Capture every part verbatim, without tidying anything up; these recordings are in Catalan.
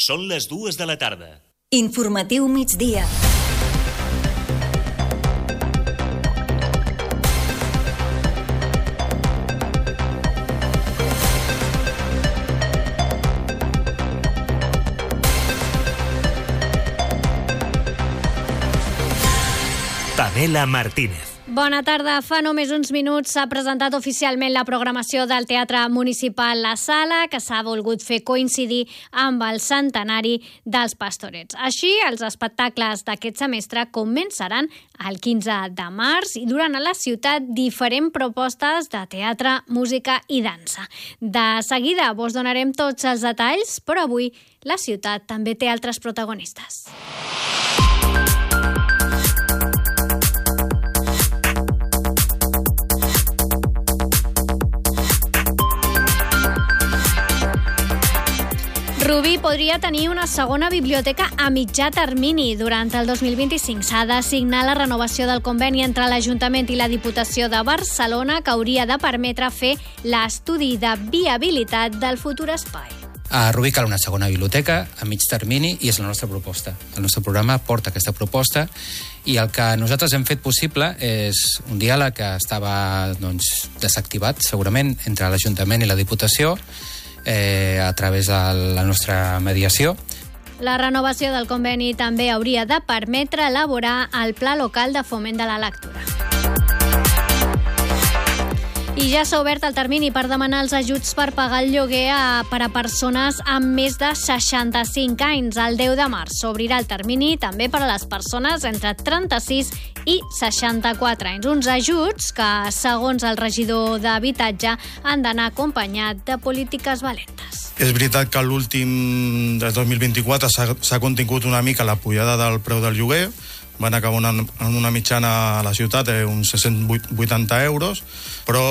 Són les dues de la tarda. Informatiu migdia. Pamela Martínez. Bona tarda. Fa només uns minuts s'ha presentat oficialment la programació del Teatre Municipal La Sala, que s'ha volgut fer coincidir amb el centenari dels Pastorets. Així, els espectacles d'aquest semestre començaran el quinze de març i duran a la ciutat diferents propostes de teatre, música i dansa. De seguida vos donarem tots els detalls, però avui la ciutat també té altres protagonistes. Rubí podria tenir una segona biblioteca a mitjà termini. Durant el dos mil vint-i-cinc s'ha de signar la renovació del conveni entre l'Ajuntament i la Diputació de Barcelona, que hauria de permetre fer l'estudi de viabilitat del futur espai. A Rubí cal una segona biblioteca a mig termini i és la nostra proposta. El nostre programa porta aquesta proposta i el que nosaltres hem fet possible és un diàleg que estava doncs, desactivat, segurament, entre l'Ajuntament i la Diputació, Eh, a través de la nostra mediació. La renovació del conveni també hauria de permetre elaborar el Pla Local de Foment de la Lectura. I ja s'ha obert el termini per demanar els ajuts per pagar el lloguer a, per a persones amb més de seixanta-cinc anys. El deu de març s'obrirà el termini també per a les persones entre trenta-sis i seixanta-quatre anys. Uns ajuts que, segons el regidor d'Habitatge, han d'anar acompanyat de polítiques valentes. És veritat que l'últim del dos mil vint-i-quatre s'ha, s'ha contingut una mica la pujada del preu del lloguer. Van acabar una, en una mitjana a la ciutat eh, uns sis-cents vuitanta euros, però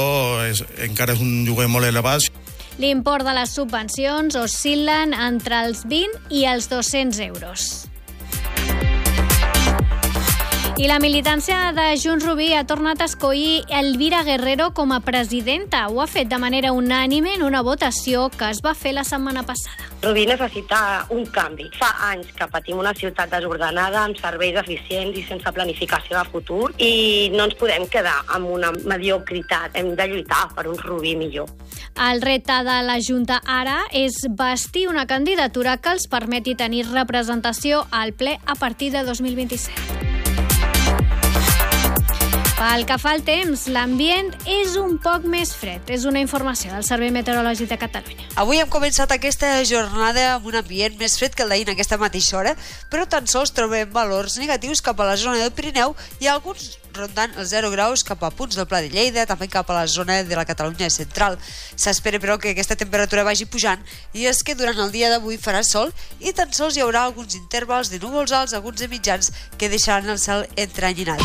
és, encara és un lloguer molt elevat. L'import de les subvencions oscil·len entre els vint i els dos-cents euros. I la militància de Junts Rubí ha tornat a escollir Elvira Guerrero com a presidenta. Ho ha fet de manera unànime en una votació que es va fer la setmana passada. Rubí necessita un canvi. Fa anys que patim una ciutat desordenada, amb serveis eficients i sense planificació de futur, i no ens podem quedar amb una mediocritat. Hem de lluitar per un Rubí millor. El repte de la Junta ara és bastir una candidatura que els permeti tenir representació al ple a partir de dos mil vint-i-set. Pel que fa al temps, l'ambient és un poc més fred. És una informació del Servei Meteorològic de Catalunya. Avui hem començat aquesta jornada amb un ambient més fred que el d'ahir en aquesta mateixa hora, però tan sols trobem valors negatius cap a la zona del Pirineu i alguns rondant els zero graus cap a punts del Pla de Lleida, també cap a la zona de la Catalunya central. S'espera, però, que aquesta temperatura vagi pujant i és que durant el dia d'avui farà sol i tan sols hi haurà alguns intervals de núvols alts, alguns de mitjans, que deixaran el cel entrenyinat.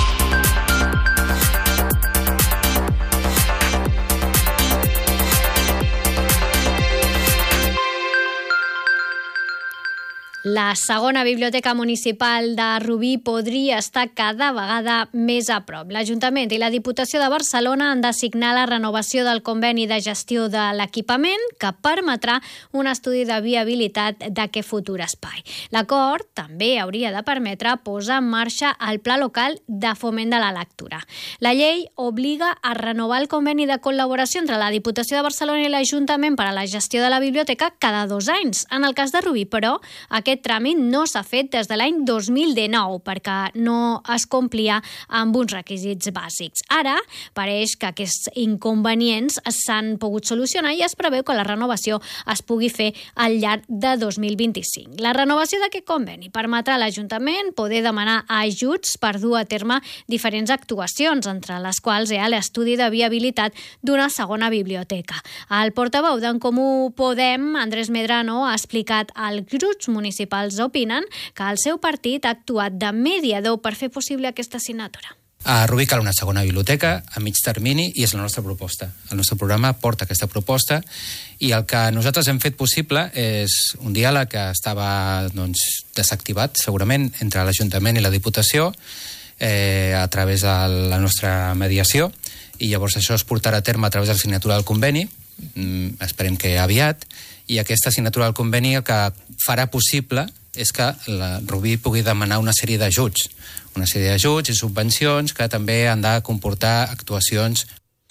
La segona biblioteca municipal de Rubí podria estar cada vegada més a prop. L'Ajuntament i la Diputació de Barcelona han de signar la renovació del conveni de gestió de l'equipament que permetrà un estudi de viabilitat d'aquest futur espai. L'acord també hauria de permetre posar en marxa el Pla Local de Foment de la Lectura. La llei obliga a renovar el conveni de col·laboració entre la Diputació de Barcelona i l'Ajuntament per a la gestió de la biblioteca cada dos anys. En el cas de Rubí, però, aquest tràmit no s'ha fet des de l'any dos mil dinou perquè no es complia amb uns requisits bàsics. Ara pareix que aquests inconvenients s'han pogut solucionar i es preveu que la renovació es pugui fer al llarg de dos mil vint-i-cinc. La renovació d'aquest conveni permetrà a l'Ajuntament poder demanar ajuts per dur a terme diferents actuacions, entre les quals hi ha l'estudi de viabilitat d'una segona biblioteca. El portaveu d'en Comú Podem, Andrés Medrano, ha explicat als grups municipals opinen que el seu partit ha actuat de mediador per fer possible aquesta signatura. A Rubí cal una segona biblioteca a mig termini i és la nostra proposta. El nostre programa porta aquesta proposta i el que nosaltres hem fet possible és un diàleg que estava doncs, desactivat, segurament, entre l'Ajuntament i la Diputació eh, a través de la nostra mediació, i llavors això es portarà a terme a través de la signatura del conveni mm, esperem que aviat, i aquesta signatura del conveni el que farà possible és que la Rubí pugui demanar una sèrie d'ajuts, una sèrie d'ajuts i subvencions que també han de comportar actuacions.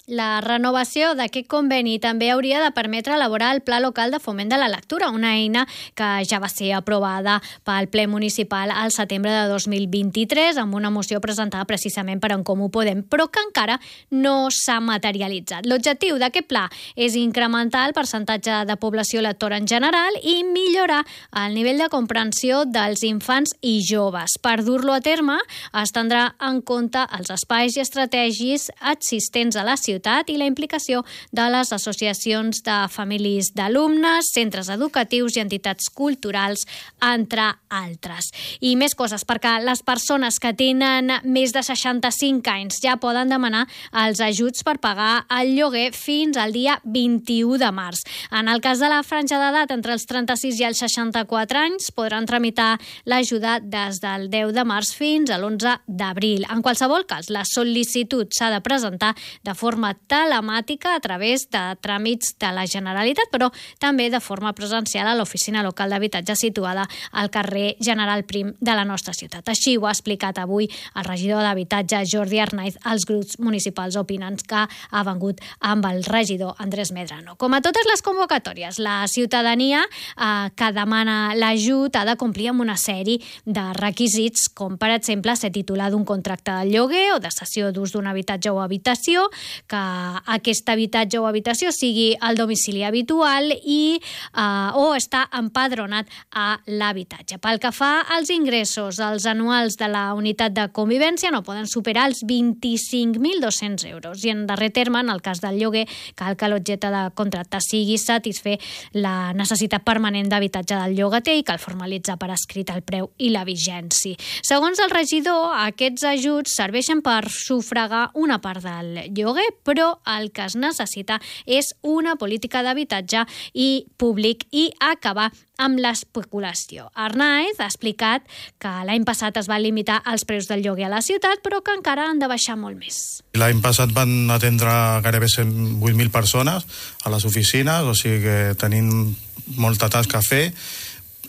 La renovació d'aquest conveni també hauria de permetre elaborar el Pla Local de Foment de la Lectura, una eina que ja va ser aprovada pel ple municipal al setembre de dos mil vint-i-tres amb una moció presentada precisament per En Comú Podem, però que encara no s'ha materialitzat. L'objectiu d'aquest pla és incrementar el percentatge de població lectora en general i millorar el nivell de comprensió dels infants i joves. Per dur-lo a terme, es tindrà en compte els espais i estratègies existents a la ciutat i la implicació de les associacions de famílies d'alumnes, centres educatius i entitats culturals, entre altres. I més coses, perquè les persones que tenen més de seixanta-cinc anys ja poden demanar els ajuts per pagar el lloguer fins al dia vint-i-u de març. En el cas de la franja d'edat entre els trenta-sis i els seixanta-quatre anys, podran tramitar l'ajuda des del deu de març fins a l'onze d'abril. En qualsevol cas, la sol·licitud s'ha de presentar de forma telemàtica a través de tràmits de la Generalitat, però també de forma presencial a l'oficina local d'habitatge situada al carrer General Prim de la nostra ciutat. Així ho ha explicat avui el regidor d'Habitatge, Jordi Arnaiz, als grups municipals opinants que ha vengut amb el regidor Andrés Medrano. Com a totes les convocatòries, la ciutadania eh, que demana l'ajut ha de complir amb una sèrie de requisits, com per exemple ser titular d'un contracte de lloguer o de cessió d'ús d'un habitatge o habitació, que aquest habitatge o habitació sigui el domicili habitual i eh, o està empadronat a l'habitatge. Pel que fa als ingressos, els anuals de la unitat de convivència no poden superar els vint-i-cinc mil dos-cents euros i en darrer terme, en el cas del lloguer, cal que l'objecte de contracte sigui satisfer la necessitat permanent d'habitatge del llogater i cal formalitzar per escrit el preu i la vigència. Segons el regidor, aquests ajuts serveixen per sufragar una part del lloguer, però el que es necessita és una política d'habitatge i públic i acabar amb l'especulació. Arnaiz ha explicat que l'any passat es va limitar els preus del lloguer a la ciutat, però que encara han de baixar molt més. L'any passat van atendre gairebé cent vuit mil persones a les oficines, o sigui que tenim molta tasca a fer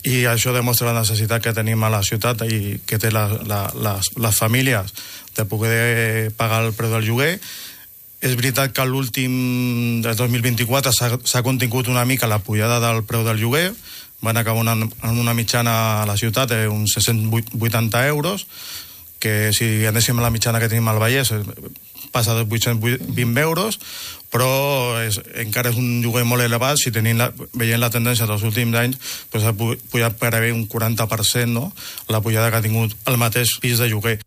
i això demostra la necessitat que tenim a la ciutat i que té la, la, les, les famílies de poder pagar el preu del lloguer. És veritat que l'últim del dos mil vint-i-quatre s'ha contingut una mica la pujada del preu del lloguer, van acabar una, en una mitjana a la ciutat d'uns sis-cents vuitanta euros, que si anéssim a la mitjana que tenim al Vallès passa de vuit-cents vint euros, però és, encara és un lloguer molt elevat. Si tenim la, veient la tendència dels últims anys, doncs ha pujat per haver un quaranta per cent, no? La pujada que ha tingut el mateix pis de lloguer.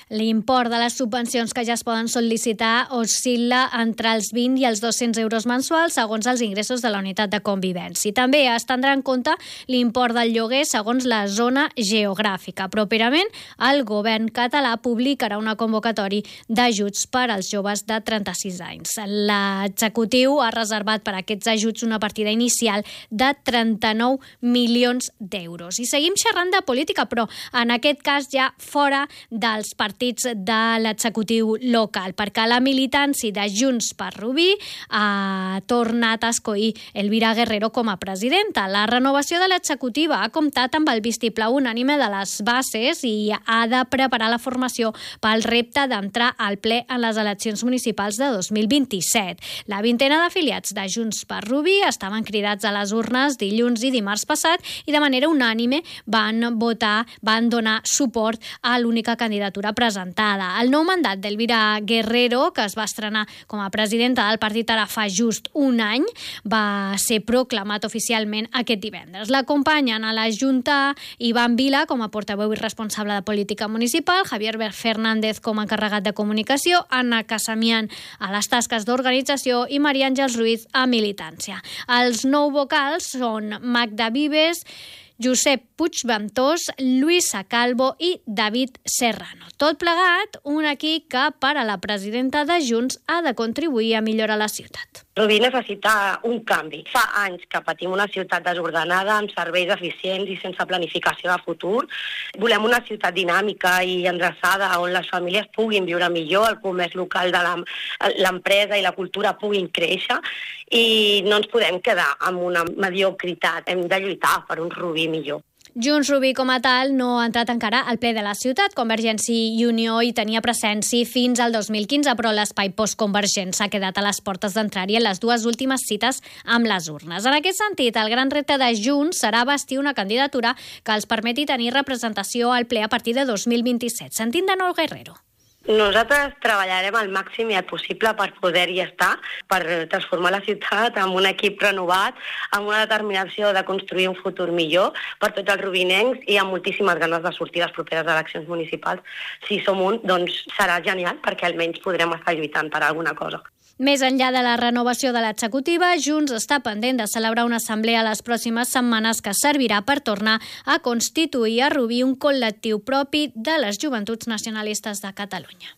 L'import de les subvencions que ja es poden sol·licitar oscil·la entre els vint i els dos-cents euros mensuals segons els ingressos de la unitat de convivència. També es tindrà en compte l'import del lloguer segons la zona geogràfica. Properament, el govern català publicarà una convocatòria d'ajuts per als joves de trenta-sis anys. L'executiu ha reservat per a aquests ajuts una partida inicial de trenta-nou milions d'euros. I seguim xerrant de política, però en aquest cas ja fora dels partits de l'executiu local, perquè la militància de Junts per Rubí ha tornat a escollir Elvira Guerrero com a presidenta. La renovació de l'executiva ha comptat amb el vistiplau unànime de les bases i ha de preparar la formació pel repte d'entrar al ple en les eleccions municipals de dos mil vint-i-set. La vintena d'afiliats de Junts per Rubí estaven cridats a les urnes dilluns i dimarts passat i de manera unànime van votar, van donar suport a l'única candidatura presentada. El nou mandat d'Elvira Guerrero, que es va estrenar com a presidenta del partit ara fa just un any, va ser proclamat oficialment aquest divendres. L'acompanyen a la Junta Ivan Vila com a portaveu i responsable de política municipal, Javier Fernández com a encarregat de comunicació, Anna Casamian a les tasques d'organització i Maria Àngels Ruiz a militància. Els nou vocals són Magda Vives, Josep Puigventós, Luisa Calvo i David Serrano. Tot plegat, un equip que, per a la presidenta de Junts, ha de contribuir a millorar la ciutat. Rubí necessita un canvi. Fa anys que patim una ciutat desordenada, amb serveis eficients i sense planificació de futur. Volem una ciutat dinàmica i endreçada on les famílies puguin viure millor, el comerç local de l'empresa i la cultura puguin créixer i no ens podem quedar amb una mediocritat. Hem de lluitar per un Rubí millor. Junts Rubí com a tal no ha entrat encara al ple de la ciutat. Convergència i Unió hi tenia presència fins al dos mil quinze, però l'espai postconvergent s'ha quedat a les portes d'entrar-hi en les dues últimes cites amb les urnes. En aquest sentit, el gran repte de Junts serà bastir una candidatura que els permeti tenir representació al ple a partir de dos mil vint-i-set. Sentim de nou Guerrero. Nosaltres treballarem al màxim i el possible per poder-hi estar, per transformar la ciutat amb un equip renovat, amb una determinació de construir un futur millor per tots els rubinencs i amb moltíssimes ganes de sortir a les properes eleccions municipals. Si som un, doncs serà genial, perquè almenys podrem estar lluitant per alguna cosa. Més enllà de la renovació de l'executiva, Junts està pendent de celebrar una assemblea les pròximes setmanes que servirà per tornar a constituir a Rubí un col·lectiu propi de les joventuts nacionalistes de Catalunya.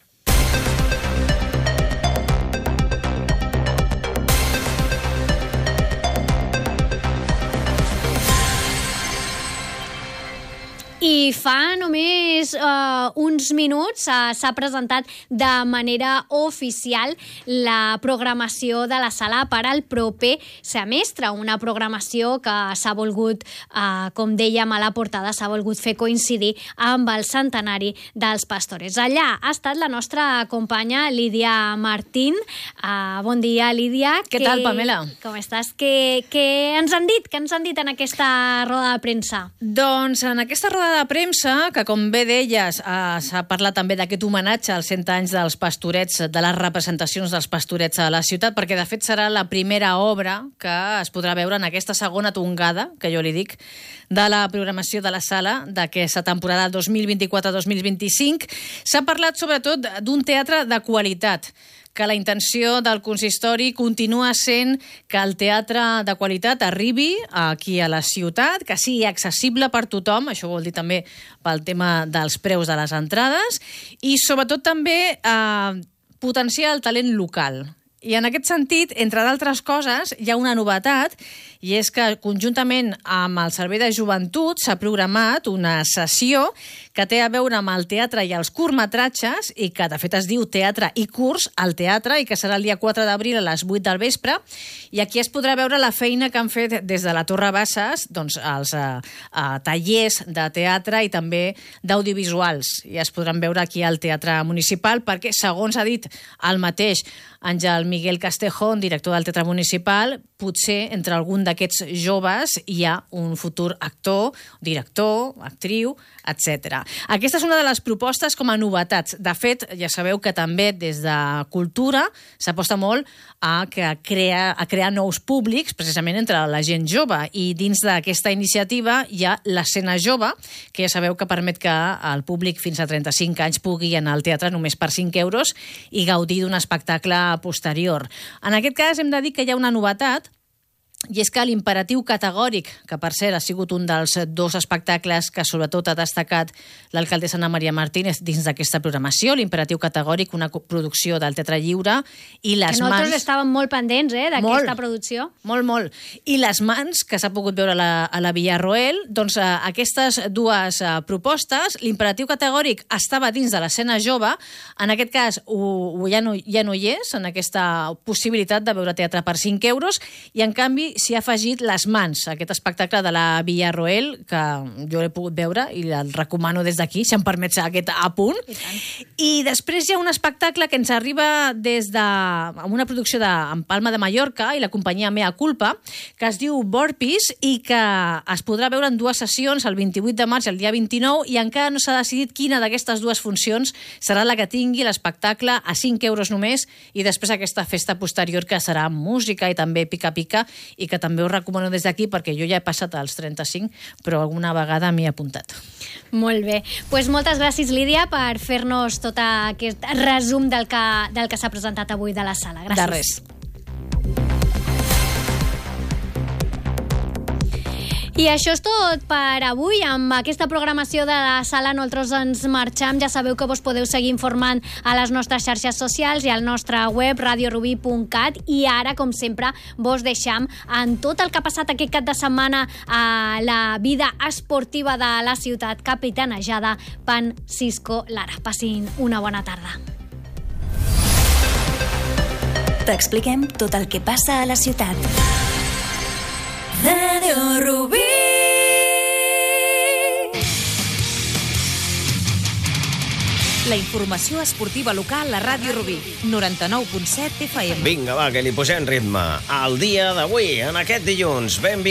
I fa només uh, uns minuts uh, s'ha presentat de manera oficial la programació de la sala per al proper semestre, una programació que s'ha volgut, uh, com dèiem a la portada, s'ha volgut fer coincidir amb el centenari dels Pastores. Allà ha estat la nostra companya Lídia Martín. Uh, bon dia, Lídia. Què tal, Pamela? Com estàs? Què, què ens han dit? Què ens han dit en aquesta roda de premsa? Doncs en aquesta roda de premsa, que com bé deies, eh, s'ha parlat també d'aquest homenatge als cent anys dels Pastorets, de les representacions dels Pastorets a la ciutat, perquè de fet serà la primera obra que es podrà veure en aquesta segona tongada, que jo li dic, de la programació de la sala d'aquesta temporada dos mil vint-i-quatre dos mil vint-i-cinc. S'ha parlat sobretot d'un teatre de qualitat, que la intenció del consistori continua sent que el teatre de qualitat arribi aquí a la ciutat, que sigui accessible per tothom, això vol dir també pel tema dels preus de les entrades, i sobretot també eh, potenciar el talent local. I en aquest sentit, entre d'altres coses, hi ha una novetat, i és que conjuntament amb el Servei de Joventut s'ha programat una sessió que té a veure amb el teatre i els curtmetratges, i que de fet es diu Teatre i Curs al Teatre, i que serà el dia quatre d'abril a les vuit del vespre, i aquí es podrà veure la feina que han fet des de la Torre Bassas, doncs els eh, eh, tallers de teatre i també d'audiovisuals, i es podran veure aquí al Teatre Municipal, perquè, segons ha dit el mateix Àngel Miguel Castejón, director del Teatre Municipal, potser entre algun d'aquests joves hi ha un futur actor, director, actriu, etcètera. Aquesta és una de les propostes com a novetats. De fet, ja sabeu que també des de Cultura s'aposta molt a, que crear, a crear nous públics, precisament entre la gent jove, i dins d'aquesta iniciativa hi ha l'escena jove, que ja sabeu que permet que el públic fins a trenta-cinc anys pugui anar al teatre només per cinc euros i gaudir d'un espectacle posterior. En aquest cas hem de dir que hi ha una novetat, i és que l'imperatiu categòric, que per cert ha sigut un dels dos espectacles que sobretot ha destacat l'alcaldessa Ana Maria Martínez dins d'aquesta programació, l'imperatiu categòric, una producció del Teatre Lliure, i les que nosaltres mans... estàvem molt pendents eh, d'aquesta producció. Molt, molt. I les mans, que s'ha pogut veure a la, a la Villarroel, doncs eh, aquestes dues eh, propostes, l'imperatiu categòric estava dins de l'escena jove, en aquest cas ho, ho ja, no, ja no hi és, en aquesta possibilitat de veure teatre per cinc euros, i en canvi s'hi ha afegit Les mans, aquest espectacle de la Villarroel, que jo l'he pogut veure i el recomano des d'aquí, si em permets aquest apunt. I, I després hi ha un espectacle que ens arriba des de amb una producció de en Palma de Mallorca i la companyia Mea Culpa, que es diu Borpis i que es podrà veure en dues sessions, el vint-i-vuit de març i el dia vint-i-nou, i encara no s'ha decidit quina d'aquestes dues funcions serà la que tingui l'espectacle a cinc euros només, i després aquesta festa posterior que serà música i també pica-pica, i que també us recomano des d'aquí perquè jo ja he passat als trenta-cinc, però alguna vegada m'hi he apuntat. Molt bé. Pues moltes gràcies, Lídia, per fer-nos tot aquest resum del que, del que s'ha presentat avui de la sala. Gràcies. De res. I això és tot per avui. Amb aquesta programació de la Sala nosaltres ens marxam. Ja sabeu que vos podeu seguir informant a les nostres xarxes socials i al nostre web radio rubí punt cat, i ara, com sempre, vos deixam en tot el que ha passat aquest cap de setmana a la vida esportiva de la ciutat, capitanejada per Cisco Lara. Passin una bona tarda. T'expliquem tot el que passa a la ciutat. Radio Rubí. La informació esportiva local a Ràdio Rubí, noranta-nou punt set F M. Vinga, va, que li posem ritme. El dia d'avui, en aquest dilluns, benvingut.